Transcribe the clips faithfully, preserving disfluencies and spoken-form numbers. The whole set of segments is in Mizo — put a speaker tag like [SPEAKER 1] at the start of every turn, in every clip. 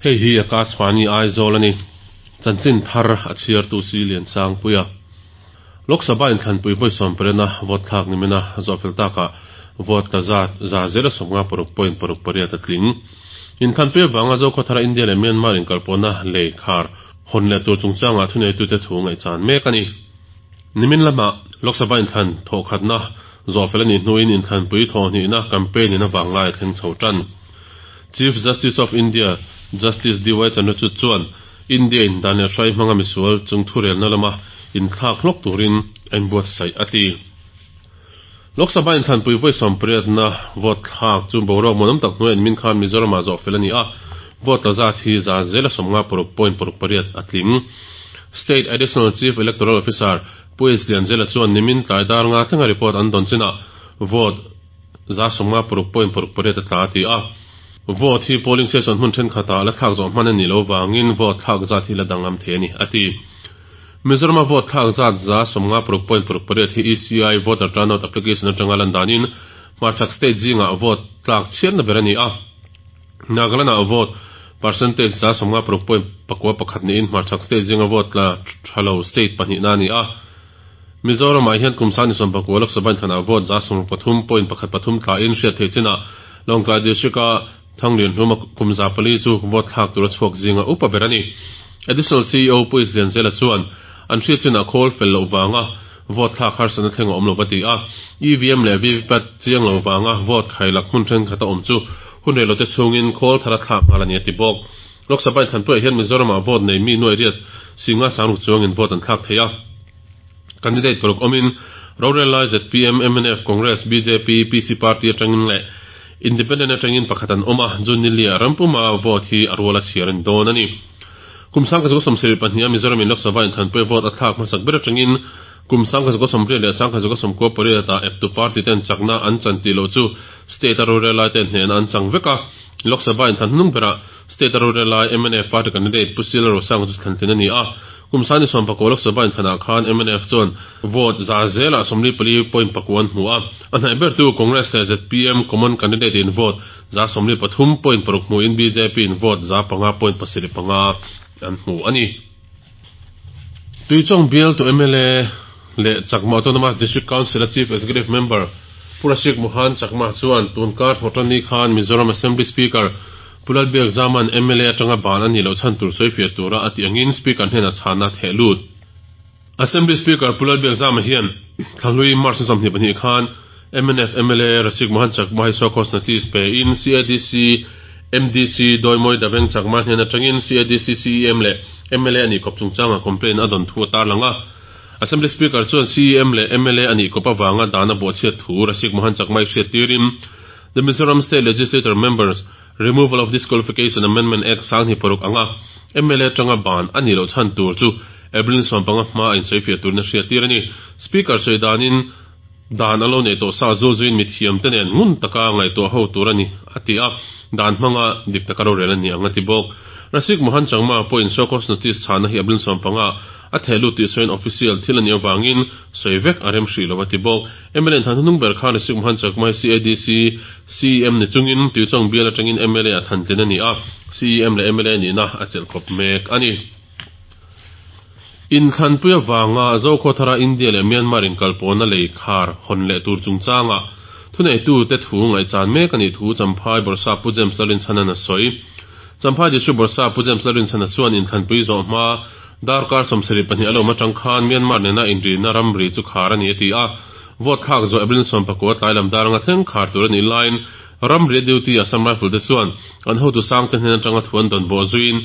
[SPEAKER 1] Hei hi Akashvani Aizawl ani. Chanchin thar a chhiartu si lian sang puia. Lok Sabha inthlanpui vawi sawm pariatna vote thlak nimina zawhfel taka vote tla zat za zela sawmnga paruk point paruk pariat a tling. Inthlanpui avanga Zokhawthara India leh Myanmar inkalpawhna lei khar hawn leh tur chungchangah thuneitute thu ngaihchan mek a ni. Nimin lama Lok Sabha inthlan thawhkhatna zawhfel a nih hnuin inthlanpui thawhhnihna campaign in avang lai a thleng chho tan. Chief Justice of India Justice D Y Chandrachud chuan India in dan leh hrai hmanga misual chung thurelna lama inthlak hlawk turin a inbuatsaih a ti. Lok Sabha inthlanpui vawi sawm pariatna vote thlak chu boruak muanawm tak hnuaiah min khan Mizoramah zawhfel a ni a, vote tla zat hi za zela sawmnga paruk point paruk pariat a tling. State Additional Chief Electoral Officer Pu H Lianzela chuan nimin tlai dar nga thlenga report an dawn chinah vote za sawmnga paruk point paruk pariat a tla a ti a. Vote hi polling station hmun thenkhatah la thlak zawh hman a nih loh vangin vote thlak zat hi la danglam thei a ni, a ti. Mizorama vote thlak zat za sawmnga paruk point paruk pariat hi E C I voter turnout application atanga lan danin hmarchhak state zingah vote tlak chhiatna ber a ni a. Nagaland-ah vote percentage za sawmnga paruk point pakua pakhat niin hmarchhak state zinga vote tla tha lo state pahnihna a ni a. Mizoramah hian kum sang ni sawm pakua Lok Sabha inthanah vote za sawmruk pathum point pakhat pathum tlain hriat theih chinah Lawngtlai District-a Thanglian hluma kum za pali chu vote thlak tura chhuak zinga upa ber a ni. Additional C E O Pu Islianzela chuan an hriat chinah khawl fel loh vanga vote thlak harsatna thleng a awm lo va ti a. E V M leh V V PAT chiang lo vanga vote khailak hmun thenkhat a awm chu hun rei lote chhungin khawl thar a thlak nghal a ni a ti bawk. Lok Sabha inthanpuiah hian Mizoramah vote nei mi nuai riat singa sangruk chuangin vote an thlak thei a. Candidate paruk awmin rorel lai Z P M, M N F, Congress, B J P, P C Party atangin leh Independent atangin pakhat an awm a, June ni lia rampuma vote hi a rual a chhiar a ni dawn a ni. Kum sangka zuka sawmsarih pahniha Mizoram in Lok Sabha inthanpui vote a thlak hmasak ber atangin kum sangka zuka sawmriat leh sangka zuka sawmkua pariatah eptu party ten chakna an chan tih loh chu state a rorel lai ten hnehna an chang vek a. Lok Sabha inthan hnung berah state a rorel lai M N F party candidate Pu Sila Rosanga chu thlantlin a ni a. Kum sani sawm pakua Lok Sabha inthanah khan M N F chuan vote za zelah sawmli pali point pakua an hmu a. A hnaih bertu Congress leh Z P M common candidate in vote za sawmli pathum point paruk hmuin B J P in vote za panga point pasarih panga an hmu a ni. Tuichawng bial tu M L A leh Chakma Autonomous District Council a Chief Executive Member Pu Rasik Mohan Chakma chuan tunkar thawhtanni khan Mizoram Assembly Speaker Pu Lalbiak Zaman M L A atanga ban a nih loh chhan tur sawi fiah tura a tih angin Speaker hnenah chhana theh lut. Assembly Speaker Pu Lalbiak Zama hian thlahlui March ni sawmhnih pahnih khan M N F M L A Rasik Mohan Chakma hi show cause notice pe in C A D C M D C Dawimawii Daveng Chakma hnen atangin C A D C C E M leh M L A a nih kawp chungchanga complaint a dawn thu a tarlang a. Assembly Speaker chuan C E M leh M L A a nih kawp avanga dan a buahchhiat thu Rasik Mohan Chakma hi hriat tirin The Mizoram State Legislature Members Removal of Disqualification Amendment Act sanghnih paruk anga M L A atanga ban a nih loh chhan tur chu April sawm panga hma a insawifiah turin a hriat tir a ni. Speaker sawi danin dan a lo nei tawh sa zul zuiin mithiam te nen ngun taka ngaihtuah ho tur a ni a ti a, dan hmanga dik taka rorel a ni ang a ti bawk. Rasik Mohan Changma pawhin show cause notice chhana hi April sawm panga a theh lut tih sawiin official thil a nih avangin sawi vek a rem hrih lo a ti bawk. M L A inthan hnung ber khan Rasik Mohan Chakma hi C A D C C E M ni chungin Tuichawng bial atangin M L A a thantlin a ni a, C E M leh M L A nihna a chelh khawp mek a ni. Inthlanpui avanga Zokhawthara India leh Myanmar inkalpawhna lei khar hawn leh tur chungchangah thuneitute thu ngaihchan mek a nih thu Champhai Bawrhsap Pu James Lalrinchhanan a sawi. Champhai District Bawrhsap Pu James Lalrinchhana chuan inthlanpui zawh hma darkar sawmsarih pahnih a lo awm atang khan Myanmar nena inrina ramri chu khar a ni a ti a. Vote thlak zawh April sawm pakua tlai lam dar anga thleng khar tur a nih laiin ramri a duty Assam Rifle te chuan an hotu sangte hnen atanga thu an dawn bawh zuiin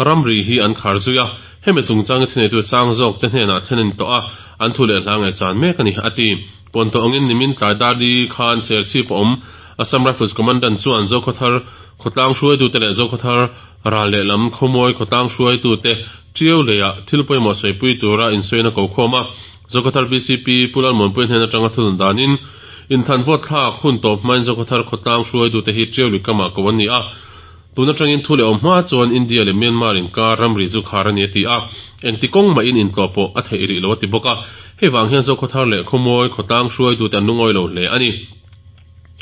[SPEAKER 1] ramri hi an khar zui a. Hemi chungchang i thineitu sang zawk te hnenah thlen a ni tawh a, an thu leh hla ngaihchan mek a ni, a ti. Puantawh angin nimin tlai dar li khan Serchhip a awm Assam Rifles Commandant chuan Zokhawthar khawtlang hruaitute leh Zokhawthar ral lehlam khawmawi khawtlang hruaitute Ṭiau leiah thil pawimawh sawipui tura insawiin a ko khawm a. Zokhawthar V C P Pu Lalmuanpui hnen atanga thunun danin inthan vote thlak hun tawp hmain Zokhawthar khawtlang hruaitute hi Ṭiau lui kamah ko an ni a. Tun atangin thu leh awm hma chuan India leh Myanmar inkar ramri chu khar a ni a ti a, engti kawng mahin intlawh pawh a theih rih lo a ti bawk a. Hei vang hian Zokhawthar leh Khawmawi khawtlang hruaitute an lungawi lo hle a ni.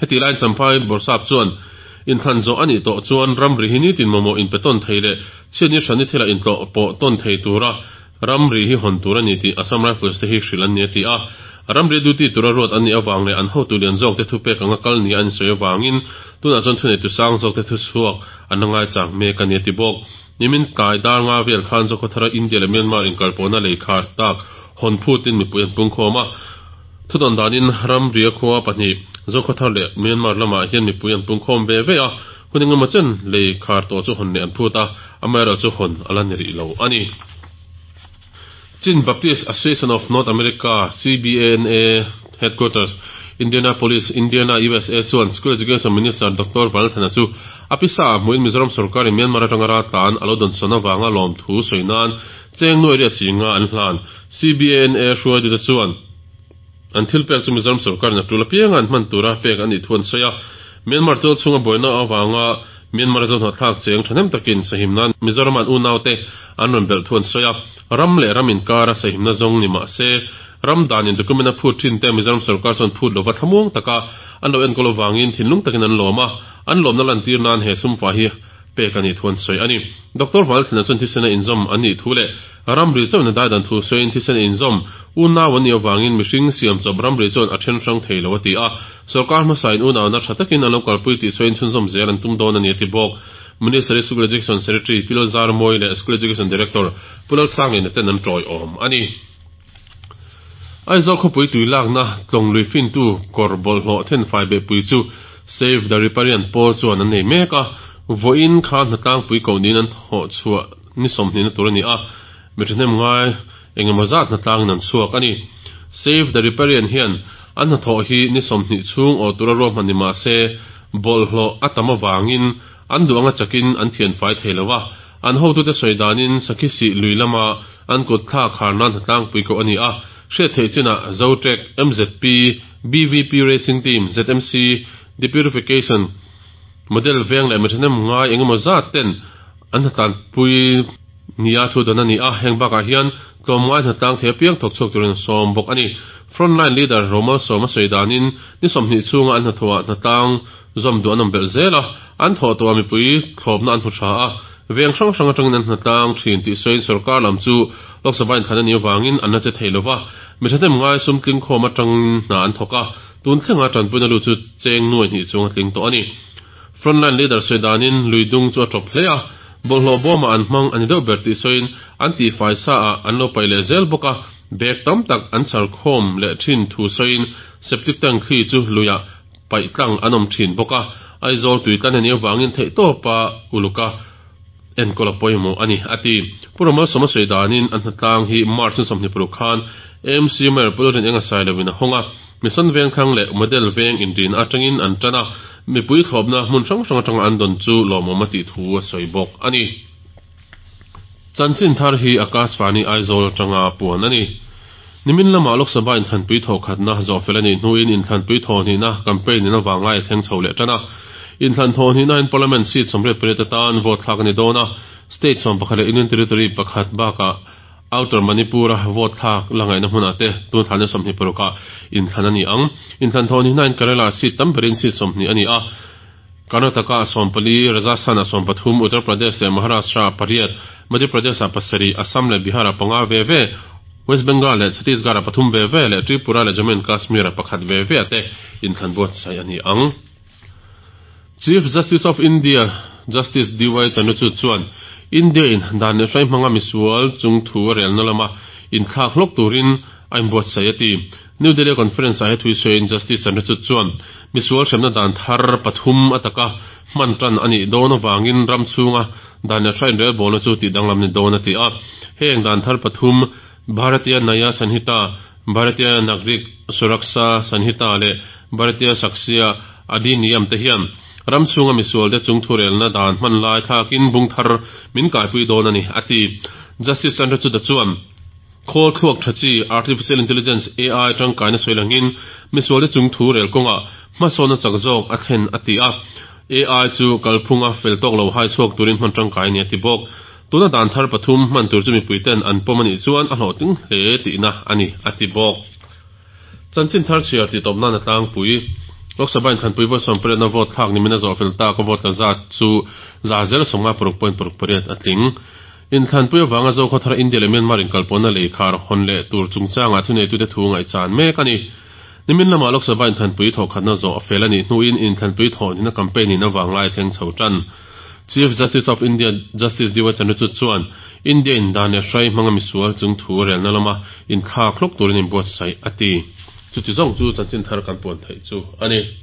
[SPEAKER 1] Heti laiin Champhai Bawrhsap chuan Inthlan zawh a nih tawh chuan ramri hi nitin mamawh inpe tawn thei leh chhiatni hrani thila intlawh pawh tawn thei tura ramri hi hawn tur a ni tih Assam Rifles te hi hrilh an ni a ti a. Ramri duty tura ruat an nih avang leh an hotu lian zawk te thupek anga kal nia an insawi avangin tunah chuan thuneitu sang zawk te thuchhuak an la ngaichang mek a ni a ti bawk. Nimin tlai dar nga vel khan Zokhawthara India leh Myanmar inkalpawhna lei khar tak hawn phutin mipui an pungkhawm a. Thudawn danin ramria khua pahnih Zokhawthar leh Myanmar lamah hian mipui an pungkhawm ve ve a, hun engemaw chen lei khar tawh chu hawn leh an phut a, amaherawhchu hawn a la ni rih lo a ni. Chin Baptist Association of North America, C B A N A, Headquarters, Indianapolis, Indiana, U S A chuan School Education Minister Doctor Vanlalthana chu a pisa ah hmuhin Mizoram sorkarin Myanmar atanga raltlan a lo dawnsawn avanga lawmthu sawi nan cheng nuai riat singa an hlan. C B A N A hruaitute chuan an thil pek chu Mizoram sorkarin a tul apianga an hman tura pek a nih thu an sawi a. Myanmar tual chhunga buaina avanga Myanmar zohnawhthlak cheng thahnem takin sahim nan Mizoram an unaute an rawn belh thu an sawi a. Ram leh ram inkara sahimna zawng ni mah se, ram danin document a phut thin te Mizoram sorkar chuan phut lova thlamuang taka an lo enkawl avangin thinlung takin an lawm a, an lawmna lantir nan he sumfa hi pek a nih thu an sawi a ni. Doctor Valthlina chuan thisen a inzawm an nih thu leh ramri chuan a daidan thu sawiin thisen a inzawm unau an nih avangin mihring siam chawp ramri chuan a then hrang thei lo a ti a. Sorkar hmasain unauna tha takin an lo kalpui tih sawiin chhunzawm zel an tum dawn a ni a ti bawk. Ministry School Education Secretary Pi Lalzarmawi leh School Education Director Pu Lalsangliana ten an tawiawm a ni. Aizawl khawpui tui lakna tlawng lui fintu kawr bawlhhlawh thenfai behpui chu Save the Riparian pawl chuan an nei mek a, vawiin kha hnatlangpui koh niin an thawh chhuah ni sawmhnihna tur a ni a, mi thahnem ngai engemaw zat hnatlangin an chhuak a ni. Save the Riparian hian an hnathawh hi ni sawmhnih chhung awh tura ruahman ni mah se bawlhhlawh a tam avangin an duh anga chakin an thianfai thei lo a, an hotute sawi danin Sakhisih lui lama an kut thlak khar nan hnatlangpui koh a ni a, hriat theih chinah Zotrek, M Z P, B V P Racing Team, Z M C, Depurification Model veng leh mi thahnem ngai engemaw zat ten an hnatlanpui nia thu dawn a ni a, heng bakah hian tlawmngai hnatlang thei apiang thawk chhuak turin an sawm bawk a ni. Frontline leader Romal Sawma sawi danin ni sawmhnih chhunga an hnathawhah hnatlang zawm duh an awm belh zel a, an thawh tawha mipui thlawpna an hmu tha a, veng hrang hrang atangin an hnatlang thin tih sawiin sorkar lam chu Lok Sabha inthlan a nih avangin an la che thei lova, mi thahnem ngai sum tling khawm atangin hna an thawk a, tun thlenga tanpuina lut chu cheng nuai hnih chung a tling tawh a ni. Frontline leader sawi danin lui dung chu a tawp hle a, bawlhhlawh bawmah an hmang a ni deuh ber tih sawiin an tihfai sa ah an lo paih leh zel bawk a, bag tam tak an chhar khawm leh thin thu sawiin septic tank thli chu luiah paih tlang an awm thin bawk a, Aizawl tui tlan a nih avangin theihtawpa uluka enkawl a pawimawh a ni, a ti. Pu Ramalsawma sawi danin an hnatlang hi March ni sawmhnih paruk khan A M C Mayor Pu Lalrin Enga Sai lovin a hawng a, Mission Vengthlang leh Model Veng inrin atangin an tan a, mipui thlawpna hmun hrang hrang atanga an dawn chu lawmawm a tih thu a sawi bawk a ni. Chanchin thar hi Akashvani Aizawl atanga puan a ni. Nimin lamah Lok Sabha inthlanpui thawhkhatna zawhfel a nih hnuin inthlanpui thawhnihna campaign in avanglai a thleng chho leh tan a. Inthlan thawhnihna in Parliament seat sawmriat pariat atan vote thlak a ni dawn a, state sawm pakhat leh Union Territory pakhat bakah Outer Manipur-a vote thlak la ngaihna hmunah te tun thlanna sawmhnih parukah inthlan a ni ang. Inthlan thawhnihna in Kerala seat tam berin seat sawmhnih a ni a, Karnataka-ah sawm pali, Rajasthan-ah sawm pathum, Uttar Pradesh leh Maharashtra-ah pariat, Madhya Pradesh-ah pasarih, Assam leh Bihar-ah panga ve ve, West Bengal leh Chhattisgarh-ah pathum ve ve leh Tripura leh Jammu and Kashmir-ah pakhat ve ve te inthlan buatsaih a ni ang. Chief Justice of India Justice D Y Chandrachud chuan India-in dan leh hrai hmanga misual chung thu a relna lama inthlak hlawk turin a inbuatsaih a ti. New Delhi conference-ah he thui sawiin Justice Chandrachud chuan misual hremna dan thar pathum a taka hman tan a nih dawn avangin ram chhunga dan leh hrai inrelbawlna chu tih danglam ni dawn a ti a. Heng dan thar pathum Bharatiya Nyaya Sanhita, Bharatiya Nagrik Suraksha Sanhita leh Bharatiya Sakshya Adhiniyam te hian ram chhunga misual te chung thurelna dan hman lai thlakin bung thar min kaipui dawn a ni, a ti. Justice Chandrachud chuan khawl thluak tha chi Artificial Intelligence, A I, tangkaina sawi langin misual te chung thu rel kawngah hmasawna chak zawk a thlen a ti a. A I chu kalphunga fel tawk lo hai chhuak turin hman tangkai a ni a ti bawk. Tuna dan thar pathum hman tur chu mipuiten an pawm a nih chuan a hlawhtling hle tihna a ni, a ti bawk. Chanchin thar chhiar tih tawp nan a tlangpui. Lok Sabha inthlanpui vawi sawm pariatna vote thlak nimina zawh fel tak a vote tla zat chu za zel sawmnga paruk point paruk pariat a tling. Inthlanpui avanga Zokhawthar India leh Myanmar inkalpawhna lei khar hawn leh tur chungchangah thuneitute thu ngaihchan mek a ni. Nimin lama Lok Sabha inthlanpui thawhkhatna zawh a fel a nih hnuin inthlanpui thawhhnihna campaign in avanglai thleng chho tan. Chief Justice of India Justice D Y Chandrachud chuan India in dan leh hrai hmanga misual chung thu relna lama inthlak hlawk turin inbuatsaih a ti. Chuti zawng chu chanchin thar kan puan theih chu a ni.